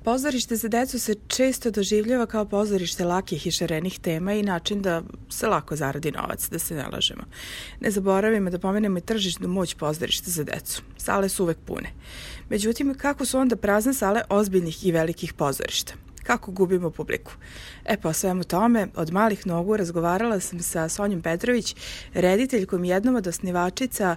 Pozorište za decu se često doživljava kao pozorište lakih i šarenih tema i način da se lako zaradi novac, da se ne lažemo. Ne zaboravimo da pomenemo i tržišnu moć pozorišta za decu. Sale su uvek pune. Međutim, kako su onda prazne sale ozbiljnih i velikih pozorišta? Kako gubimo publiku? Pa o svemu tome, od malih nogu razgovarala sam sa Sonjom Petrović, rediteljkom jednom od osnivačica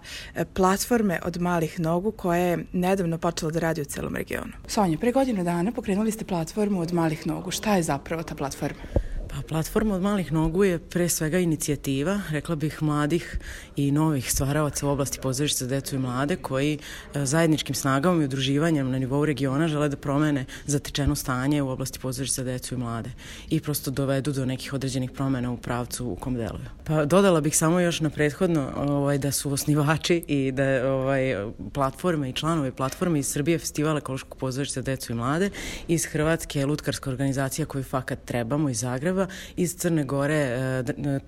platforme Od malih nogu, koja je nedavno počela da radi u celom regionu. Sonja, pre godinu dana pokrenuli ste platformu Od malih nogu. Šta je zapravo ta platforma? Pa platforma Od malih nogu je pre svega inicijativa, rekla bih, mladih i novih stvaraoca u oblasti pozorišta za decu i mlade koji zajedničkim snagama i udruživanjem na nivou regiona žele da promene zatečeno stanje u oblasti pozorišta za decu i mlade i prosto dovedu do nekih određenih promena u pravcu u kom deluju. Pa dodala bih samo još na prethodno da su osnivači i da platforme i članovi platforme iz Srbije Festival ekološkog pozorišta za decu i mlade, iz Hrvatske lutkarska organizacija koju fakat trebamo iz Zagreba, iz Crne Gore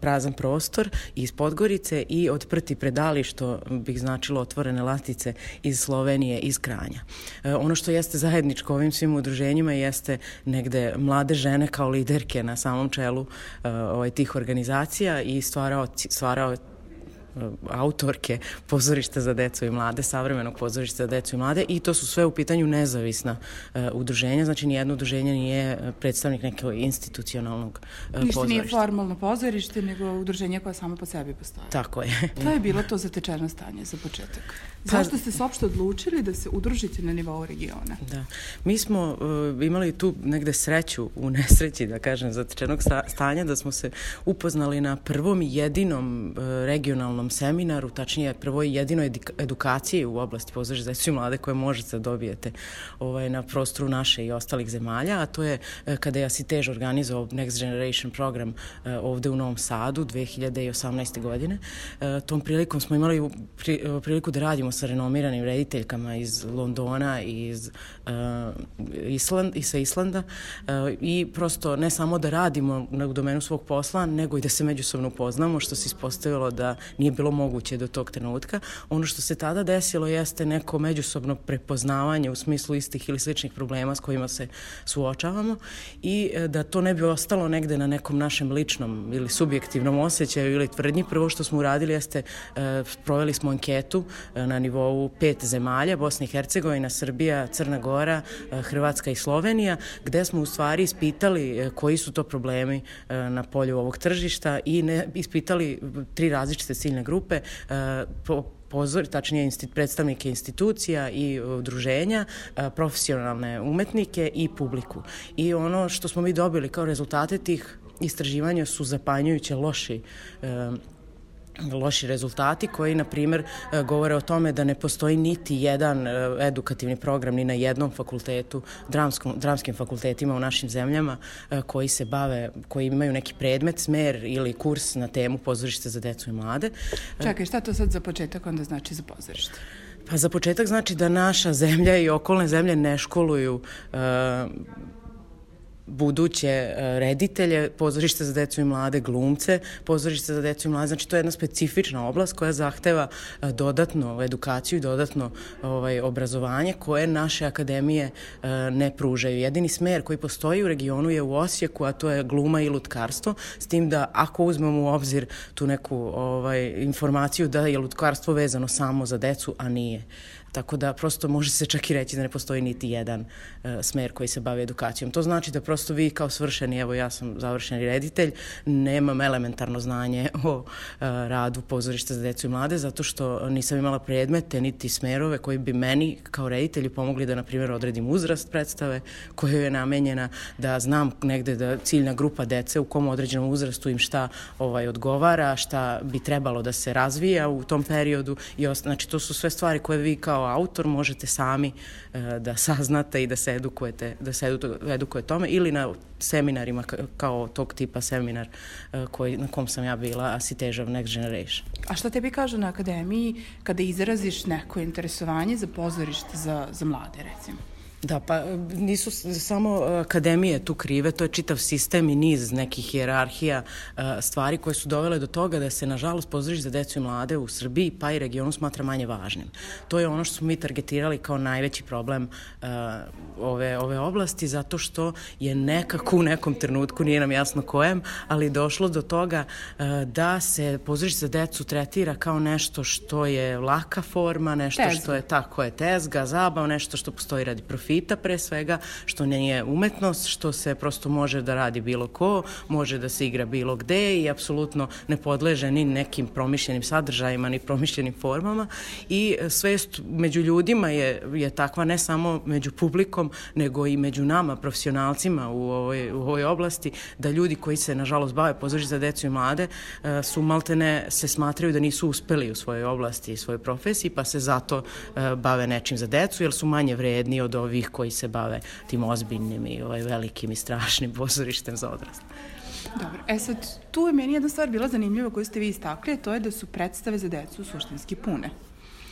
Prazan prostor, iz Podgorice i Od prti predali, što bih značilo otvorene latice, iz Slovenije, iz Kranja. Ono što jeste zajedničko ovim svim udruženjima jeste negde mlade žene kao liderke na samom čelu tih organizacija i stvarao autorke pozorišta za decu i mlade, savremenog pozorišta za decu i mlade, i to su sve u pitanju nezavisna udruženja, znači nijedno udruženje nije predstavnik nekog institucionalnog pozorišta. Ništa nije formalno pozorište, nego udruženje koje samo po sebi postoje. Tako je. To je bilo to zatečeno stanje za početak. Zašto ste se uopšte odlučili da se udružite na nivou regiona? Da. Mi smo imali tu negde sreću u nesreći, da kažem, zatečenog stanja, da smo se upoznali na prvom i jedinom regionalnom seminaru, tačnije prvoj jedinoj edukaciji u oblasti pozorišta za decu i mlade koje možete da dobijete na prostoru naše i ostalih zemalja, a to je kada je Asitež organizovao Next Generation program ovde u Novom Sadu 2018. godine. Tom prilikom smo imali priliku da radimo sa renomiranim rediteljkama iz Londona i sa Islanda i prosto ne samo da radimo u domenu svog posla, nego i da se međusobno upoznamo, što se ispostavilo da nije bilo moguće do tog trenutka. Ono što se tada desilo jeste neko međusobno prepoznavanje u smislu istih ili sličnih problema s kojima se suočavamo i da to ne bi ostalo negde na nekom našem ličnom ili subjektivnom osjećaju ili tvrdnji. Prvo što smo uradili jeste proveli smo anketu na nivou 5 zemalja, Bosna i Hercegovina, Srbija, Crna Gora, Hrvatska i Slovenija, gde smo u stvari ispitali koji su to problemi na polju ovog tržišta i ispitali 3 različite ciljne grupe, tačnije predstavnike institucija i udruženja, profesionalne umetnike i publiku. I ono što smo mi dobili kao rezultate tih istraživanja su zapanjujuće loši rezultati koji, na primjer, govore o tome da ne postoji niti jedan edukativni program ni na jednom fakultetu, dramskim fakultetima u našim zemljama koji imaju neki predmet, smer ili kurs na temu pozorište za decu i mlade. Čekaj, šta to sad za početak onda znači za pozorište? Pa za početak znači da naša zemlja i okolne zemlje ne školuju buduće reditelje, pozorište za decu i mlade, glumce, pozorište za decu i mlade. Znači, to je jedna specifična oblast koja zahteva dodatnu edukaciju i dodatno obrazovanje koje naše akademije ne pružaju. Jedini smer koji postoji u regionu je u Osijeku, a to je gluma i lutkarstvo, s tim da ako uzmemo u obzir tu neku informaciju da je lutkarstvo vezano samo za decu, a nije. Tako da prosto može se čak i reći da ne postoji niti jedan smer koji se bavi edukacijom. To znači da prosto vi kao svršeni, evo ja sam završeni reditelj, nemam elementarno znanje o radu pozorišta za decu i mlade, zato što nisam imala predmete niti smerove koji bi meni kao reditelju pomogli da, na primjer, odredim uzrast predstave koja je namenjena, da znam negde da ciljna grupa dece u kom određenom uzrastu im šta odgovara, šta bi trebalo da se razvija u tom periodu. Znači, to su sve stvari koje vi kao autor možete sami da saznate i da se edukuje tome, ili na seminarima kao tog tipa seminar na kom sam ja bila, Asitežov Next Generation. A šta tebi kažu na akademiji kada izraziš neko interesovanje za pozorište za mlade, recimo? Da, pa nisu samo akademije tu krive, to je čitav sistem i niz nekih hijerarhija stvari koje su dovele do toga da se, nažalost, pozorište za decu i mlade u Srbiji pa i regionu smatra manje važnim. To je ono što smo mi targetirali kao najveći problem ove oblasti, zato što je nekako u nekom trenutku, nije nam jasno kojem, ali došlo do toga da se pozorište za decu tretira kao nešto što je laka forma, nešto što je tako je tezga, zabav, nešto što postoji radi profita pre svega, što nije umetnost, što se prosto može da radi bilo ko, može da se igra bilo gde i apsolutno ne podleže ni nekim promišljenim sadržajima, ni promišljenim formama i svest među ljudima je takva ne samo među publikom, nego i među nama, profesionalcima u ovoj oblasti, da ljudi koji se, nažalost, bave pozorištem za decu i mlade su maltene se smatraju da nisu uspeli u svojoj oblasti i svojoj profesiji, pa se zato bave nečim za decu, jer su manje vredni od ovih koji se bave tim ozbiljnim i velikim i strašnim pozorištem za odrasle. Dobro, sad, tu je meni jedna stvar bila zanimljiva koju ste vi istakli, a to je da su predstave za decu suštinski pune.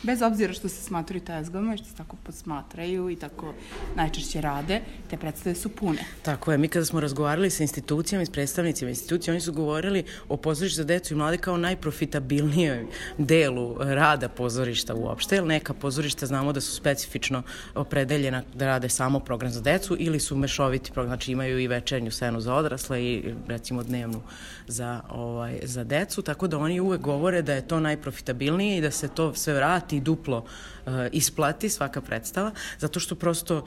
Bez obzira što se smatraju tezgama i što se tako posmatraju i tako najčešće rade, te predstave su pune. Tako je, mi kada smo razgovarali sa institucijama i s predstavnicima institucija, oni su govorili o pozorištu za decu i mlade kao najprofitabilnijoj delu rada pozorišta uopšte, jer neka pozorišta znamo da su specifično opredeljena da rade samo program za decu ili su mešoviti program, znači imaju i večernju scenu za odrasle i recimo dnevnu za decu, tako da oni uvek govore da je to najprofitabilnije i da se to sve vrati i duplo isplati svaka predstava, zato što prosto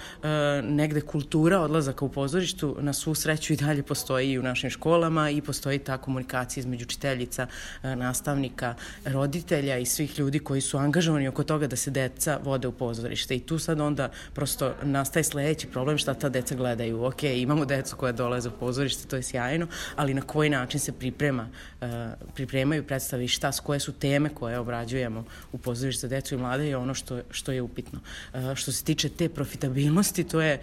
negde kultura odlazaka u pozorištu na svu sreću i dalje postoji i u našim školama i postoji ta komunikacija između učiteljica, nastavnika, roditelja i svih ljudi koji su angažovani oko toga da se deca vode u pozorište i tu sad onda prosto nastaje sledeći problem šta ta deca gledaju. Ok, imamo decu koja dolaze u pozorište, to je sjajno, ali na koji način se pripremaju predstave i koje su teme koje obrađujemo u pozorište za decu i mlade je ono što je upitno. Što se tiče te profitabilnosti, to je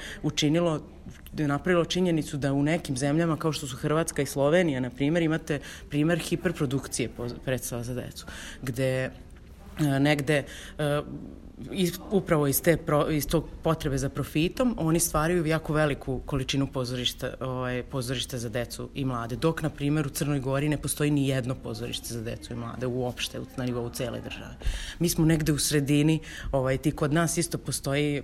napravilo činjenicu da u nekim zemljama kao što su Hrvatska i Slovenija, na primjer, imate primjer hiperprodukcije predstava za decu, gde negde upravo iz tog potrebe za profitom oni stvaraju jako veliku količinu pozorišta za decu i mlade, dok na primjer u Crnoj Gori ne postoji ni jedno pozorište za decu i mlade uopšte na nivou cele države. Mi smo negde u sredini, kod nas isto postoji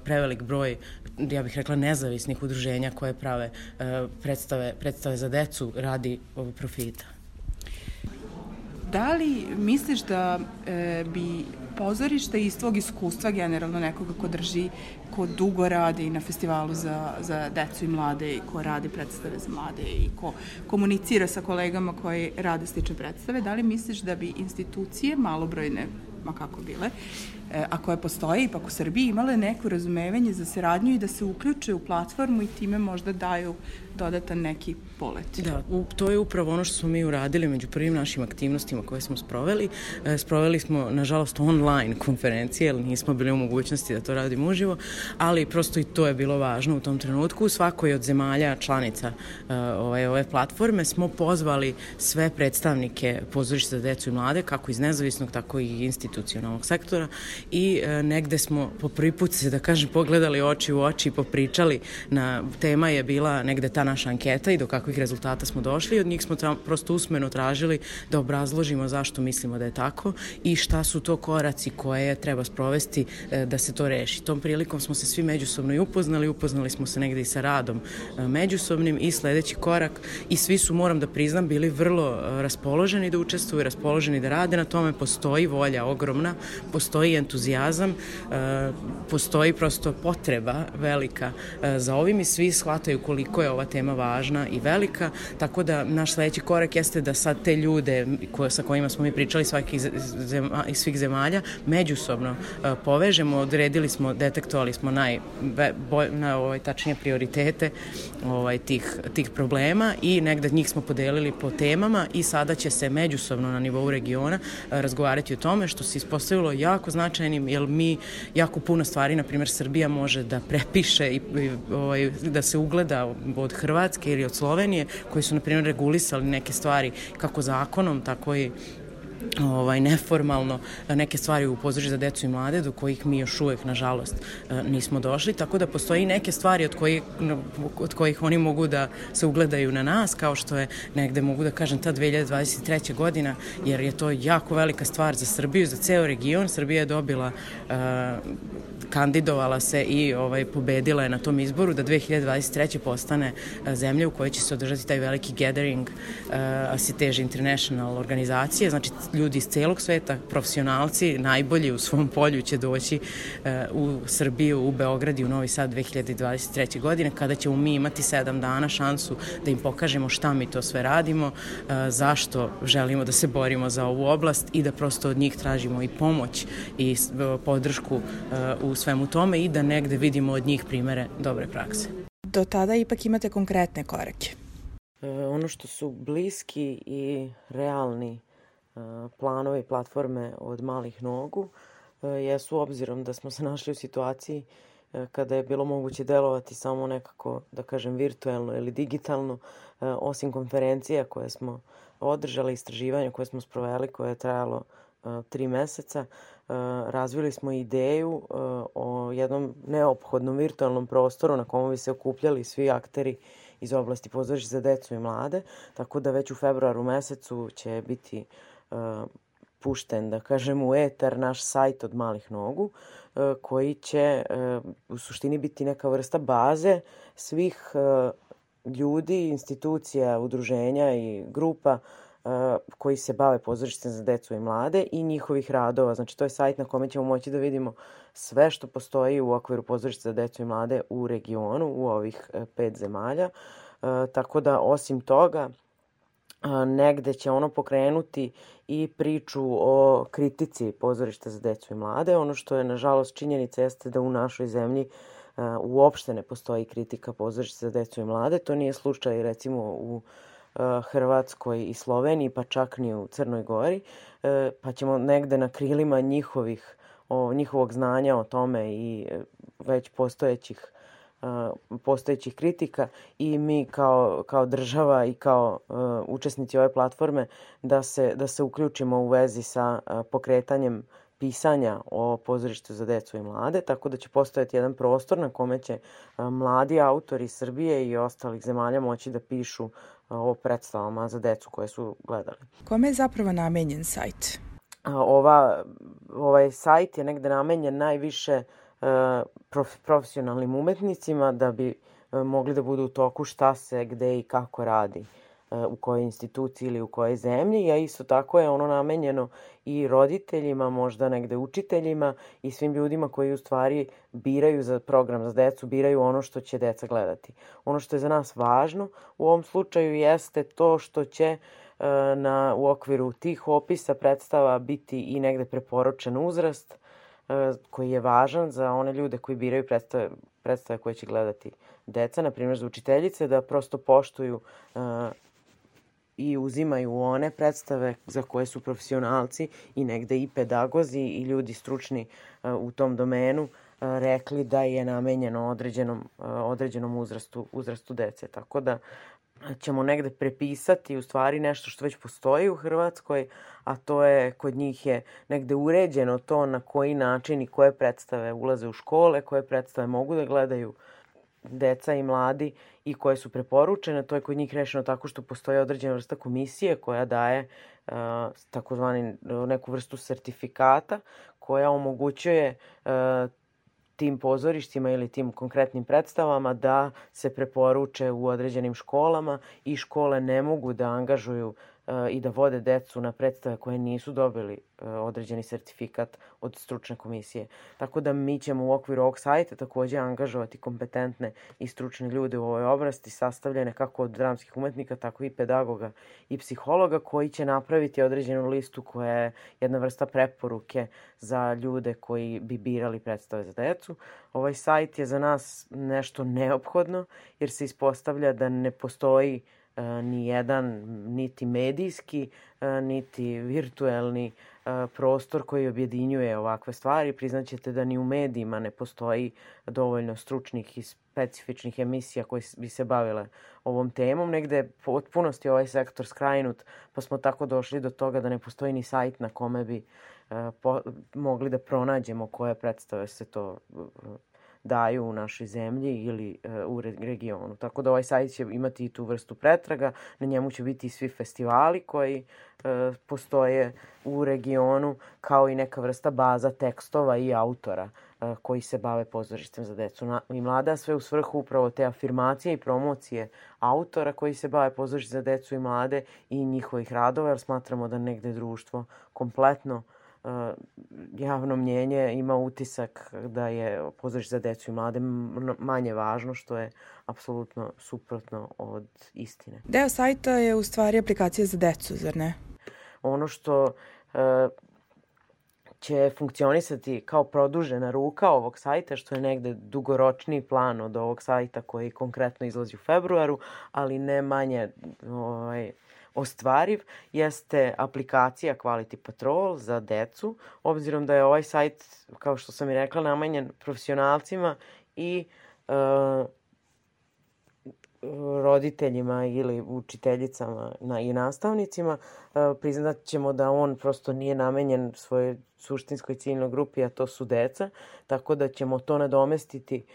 prevelik broj, ja bih rekla, nezavisnih udruženja koje prave predstave za decu radi profita. Da li misliš da bi pozorište iz tvog iskustva generalno nekoga ko dugo radi na festivalu za decu i mlade i ko radi predstave za mlade i ko komunicira sa kolegama koji rade slične predstave, da li misliš da bi institucije malobrojne, ma kako bile, a koje postoje ipak u Srbiji, imale neko razumevanje za saradnju i da se uključe u platformu i time možda daju dodatan neki polet. Da, to je upravo ono što smo mi uradili među prvim našim aktivnostima koje smo sproveli. Sproveli smo, nažalost, online konferencije, jer nismo bili u mogućnosti da to radimo uživo, ali prosto i to je bilo važno u tom trenutku. U svakoj od zemalja članica ove platforme smo pozvali sve predstavnike pozorišta za decu i mlade, kako iz nezavisnog, tako i institucionalnog sektora i negde smo po prvi put se, da kažem, pogledali oči u oči i popričali. Tema je bila negde ta naša anketa i do kakvih rezultata smo došli. Od njih smo prosto usmeno tražili da obrazložimo zašto mislimo da je tako i šta su to koraci koje treba sprovesti da se to reši. Tom prilikom smo se svi međusobno i upoznali smo se negde i sa radom međusobnim i sledeći korak i svi su, moram da priznam, bili vrlo raspoloženi da učestvuju, raspoloženi da rade na tome, postoji volja ogromna, postoji entuzijazam, postoji prosto potreba velika za ovim i svi shvataju koliko je ova tema važna i velika, tako da naš sledeći korak jeste da sad te ljude sa kojima smo mi pričali iz svih zemalja međusobno povežemo, odredili smo, detektovali smo tačnije prioritete tih problema i negde njih smo podelili po temama i sada će se međusobno na nivou regiona razgovarati o tome, što se ispostavilo jako značajnim, jer mi jako puno stvari, na primjer Srbija može da prepiše i da se ugleda od Hrvatske ili od Slovenije, koji su, na primjer, regulisali neke stvari kako zakonom, tako i neformalno neke stvari u pozorištu za decu i mlade do kojih mi još uvek, nažalost, nismo došli, tako da postoji neke stvari od kojih oni mogu da se ugledaju na nas, kao što je negde, mogu da kažem, ta 2023. godina, jer je to jako velika stvar za Srbiju, za ceo region. Srbija je dobila, kandidovala se i pobedila je na tom izboru da 2023. postane zemlja u kojoj će se održati taj veliki gathering Asitež International organizacije, znači ljudi iz celog sveta, profesionalci, najbolji u svom polju će doći u Srbiju, u Beograd i u Novi Sad 2023. godine, kada ćemo mi imati 7 dana šansu da im pokažemo šta mi to sve radimo, zašto želimo da se borimo za ovu oblast i da prosto od njih tražimo i pomoć i podršku u svemu tome i da negde vidimo od njih primere dobre prakse. Do tada ipak imate konkretne korake. Ono što su bliski i realni planovi i platforme od malih nogu jesu, obzirom da smo se našli u situaciji kada je bilo moguće delovati samo nekako, da kažem, virtuelno ili digitalno, osim konferencija koje smo održali, istraživanja koje smo sproveli, koje je trajalo 3 meseca, razvili smo ideju o jednom neophodnom virtualnom prostoru na komu bi se okupljali svi akteri iz oblasti pozorišta za decu i mlade, tako da već u februaru mesecu će biti pušten, da kažem, u etar naš sajt od malih nogu, koji će u suštini biti neka vrsta baze svih ljudi, institucija, udruženja i grupa koji se bave pozorištem za decu i mlade i njihovih radova. Znači, to je sajt na kome ćemo moći da vidimo sve što postoji u okviru pozorišta za decu i mlade u regionu, u ovih 5 zemalja. Tako da, osim toga, negde će ono pokrenuti i priču o kritici pozorišta za decu i mlade. Ono što je, nažalost, činjenica jeste da u našoj zemlji uopšte ne postoji kritika pozorišta za decu i mlade. To nije slučaj, recimo, u Hrvatskoj i Sloveniji, pa čak ni u Crnoj Gori, pa ćemo negde na krilima njihovog znanja o tome i već postojećih kritika i mi kao država i kao učesnici ove platforme da se uključimo u vezi sa pokretanjem pisanja o pozorištu za decu i mlade, tako da će postojati jedan prostor na kome će mladi autori Srbije i ostalih zemalja moći da pišu o predstavama za decu koje su gledali. Kome je zapravo namenjen sajt? Ovaj sajt je negde namenjen najviše profesionalnim umetnicima da bi mogli da budu u toku šta se, gde i kako radi u kojoj instituciji ili u kojoj zemlji, a isto tako je ono namenjeno i roditeljima, možda negde učiteljima i svim ljudima koji u stvari biraju za program za decu, biraju ono što će deca gledati. Ono što je za nas važno u ovom slučaju jeste to što će u okviru tih opisa predstava biti i negde preporučen uzrast koji je važan za one ljude koji biraju predstave koje će gledati deca, na primjer za učiteljice, da prosto poštuju i uzimaju one predstave za koje su profesionalci i negde i pedagozi i ljudi stručni u tom domenu rekli da je namenjeno određenom uzrastu dece. Tako da ćemo negde prepisati u stvari nešto što već postoji u Hrvatskoj, a to je, kod njih je negde uređeno to na koji način i koje predstave ulaze u škole, koje predstave mogu da gledaju deca i mladi i koje su preporučene. To je kod njih rešeno tako što postoji određena vrsta komisije koja daje takozvani neku vrstu sertifikata koja omogućuje tim pozorištima ili tim konkretnim predstavama da se preporuče u određenim školama i škole ne mogu da angažuju i da vode decu na predstave koje nisu dobili određeni sertifikat od stručne komisije. Tako da mi ćemo u okviru ovog sajta takođe angažovati kompetentne i stručne ljude u ovoj oblasti, sastavljene kako od dramskih umetnika, tako i pedagoga i psihologa, koji će napraviti određenu listu koja je jedna vrsta preporuke za ljude koji bi birali predstave za decu. Ovaj sajt je za nas nešto neophodno jer se ispostavlja da ne postoji ni jedan niti medijski, niti virtuelni prostor koji objedinjuje ovakve stvari. Priznaćete da ni u medijima ne postoji dovoljno stručnih i specifičnih emisija koje bi se bavile ovom temom. Negde je potpunosti ovaj sektor skrajnut, pa smo tako došli do toga da ne postoji ni sajt na kome bi mogli da pronađemo koje predstave se to daju u našoj zemlji ili u regionu. Tako da ovaj sajt će imati i tu vrstu pretraga, na njemu će biti i svi festivali koji postoje u regionu, kao i neka vrsta baza tekstova i autora koji se bave pozorištem za decu i mlade, sve u svrhu upravo te afirmacije i promocije autora koji se bave pozorištem za decu i mlade i njihovih radova, jer smatramo da negde društvo kompletno javno mnjenje ima utisak da je pozorište za decu i mlade manje važno, što je apsolutno suprotno od istine. Deo sajta je u stvari aplikacija za decu, zar ne? Ono što će funkcionisati kao produžena ruka ovog sajta, što je negde dugoročniji plan od ovog sajta koji konkretno izlazi u februaru, ali ne manje ostvariv, jeste aplikacija Quality Patrol za decu, obzirom da je ovaj sajt, kao što sam i rekla, namenjen profesionalcima i roditeljima ili učiteljicama i nastavnicima. Priznat ćemo da on prosto nije namenjen svojoj suštinskoj ciljnoj grupi, a to su deca, tako da ćemo to nadomestiti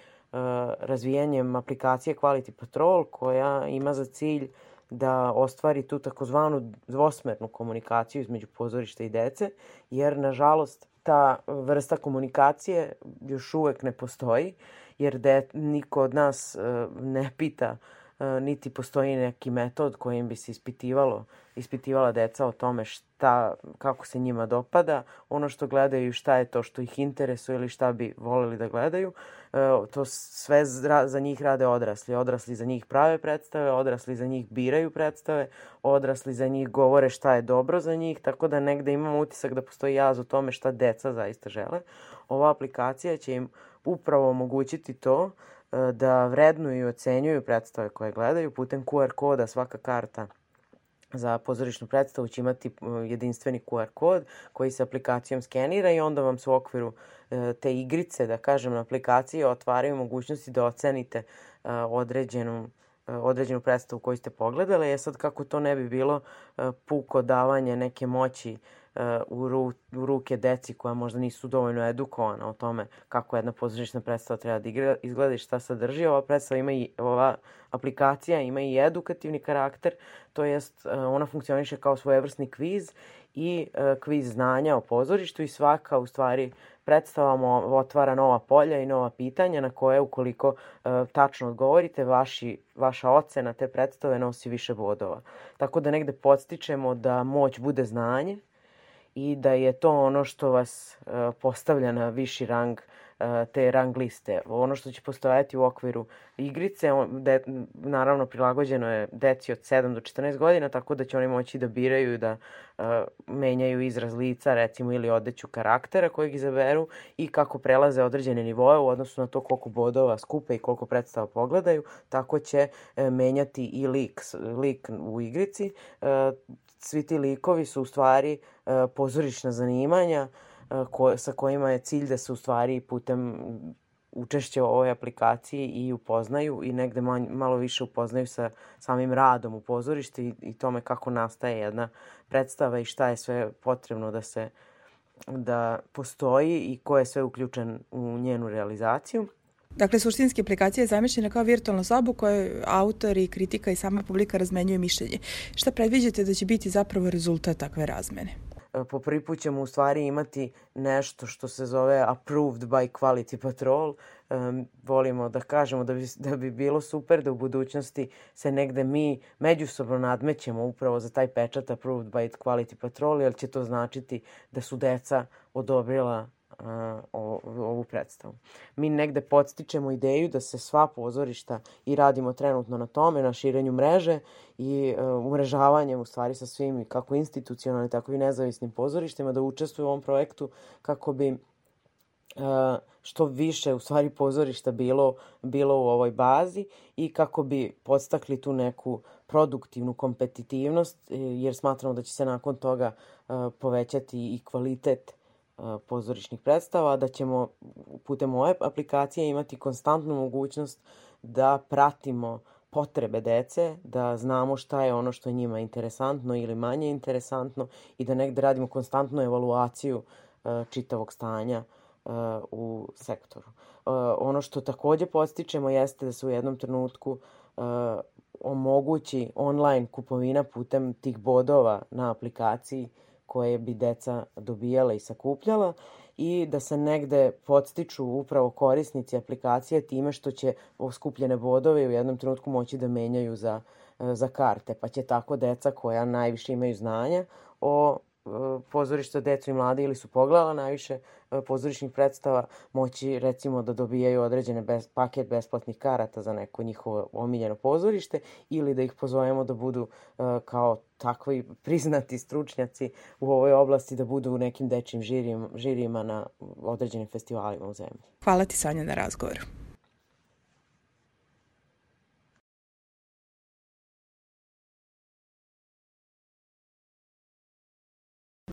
razvijanjem aplikacije Quality Patrol, koja ima za cilj da ostvari tu takozvanu dvosmernu komunikaciju između pozorišta i dece, jer nažalost ta vrsta komunikacije još uvek ne postoji, jer niko od nas ne pita, niti postoji neki metod kojim bi se ispitivala deca o tome kako se njima dopada, ono što gledaju, šta je to što ih interesuje ili šta bi voleli da gledaju. To sve za njih rade odrasli. Odrasli za njih prave predstave, odrasli za njih biraju predstave, odrasli za njih govore šta je dobro za njih, tako da negde imamo utisak da postoji jaz u tome šta deca zaista žele. Ova aplikacija će im upravo omogućiti to da vrednuju i ocenjuju predstave koje gledaju putem QR koda. Svaka karta za pozorišnu predstavu će imati jedinstveni QR kod koji se aplikacijom skenira i onda vam se u okviru te igrice, da kažem, na aplikaciji otvaraju mogućnosti da ocenite određenu predstavu koju ste pogledali. Sad, kako to ne bi bilo puko davanje neke moći u ruke deci koja možda nisu dovoljno edukovana o tome kako jedna pozorišna predstava treba da izgleda i šta sadrži. Ova aplikacija ima i edukativni karakter, to jest ona funkcioniše kao svojevrsni kviz i kviz znanja o pozorištu i svaka u stvari predstava otvara nova polja i nova pitanja na koje ukoliko tačno odgovorite, vaša ocena te predstave nosi više bodova. Tako da negde podstičemo da moć bude znanje i da je to ono što vas postavlja na viši rang te rang liste. Ono što će postojati u okviru igrice, naravno prilagođeno je deci od 7 do 14 godina, tako da će oni moći da biraju i da menjaju izraz lica, recimo, ili odeću karaktera kojeg izaberu i kako prelaze određene nivoe u odnosu na to koliko bodova skupe i koliko predstava pogledaju, tako će menjati i lik u igrici. Svi ti likovi su u stvari pozorišna zanimanja sa kojima je cilj da se u stvari putem učešća u ovoj aplikaciji i upoznaju i negde malo više upoznaju sa samim radom u pozorištu i tome kako nastaje jedna predstava i šta je sve potrebno da postoji i ko je sve uključen u njenu realizaciju. Dakle, suštinski aplikacija je zamišljena kao virtualna soba u kojoj autori, kritika i sama publika razmenjuju mišljenje. Šta predviđate da će biti zapravo rezultat takve razmene? Po prvi put ćemo u stvari imati nešto što se zove Approved by Quality Patrol. Volimo da kažemo da bi bilo super da u budućnosti se negde mi međusobno nadmećemo upravo za taj pečat Approved by Quality Patrol, jer će to značiti da su deca odobrila ovu predstavu. Mi negde podstičemo ideju da se sva pozorišta i radimo trenutno na tome, na širenju mreže i umrežavanjem u stvari sa svim kako institucionalnim, tako i nezavisnim pozorištima da učestvuju u ovom projektu kako bi što više u stvari pozorišta bilo u ovoj bazi i kako bi podstakli tu neku produktivnu kompetitivnost, jer smatramo da će se nakon toga povećati i kvalitet pozorišnih predstava, da ćemo putem ove aplikacije imati konstantnu mogućnost da pratimo potrebe dece, da znamo šta je ono što je njima interesantno ili manje interesantno i da negde radimo konstantnu evaluaciju čitavog stanja u sektoru. Ono što takođe podstičemo jeste da se u jednom trenutku omogući online kupovina putem tih bodova na aplikaciji koje bi deca dobijala i sakupljala i da se negde podstiču upravo korisnici aplikacije time što će skupljene bodove u jednom trenutku moći da menjaju za karte, pa će tako deca koja najviše imaju znanja o pozorišta decu i mlade ili su pogledala najviše pozorišnih predstava moći recimo da dobijaju određene paket besplatnih karata za neko njihovo omiljeno pozorište ili da ih pozovemo da budu kao takvi priznati stručnjaci u ovoj oblasti, da budu u nekim dečjim žirijima na određenim festivalima u zemlji. Hvala ti, Sanja, na razgovoru.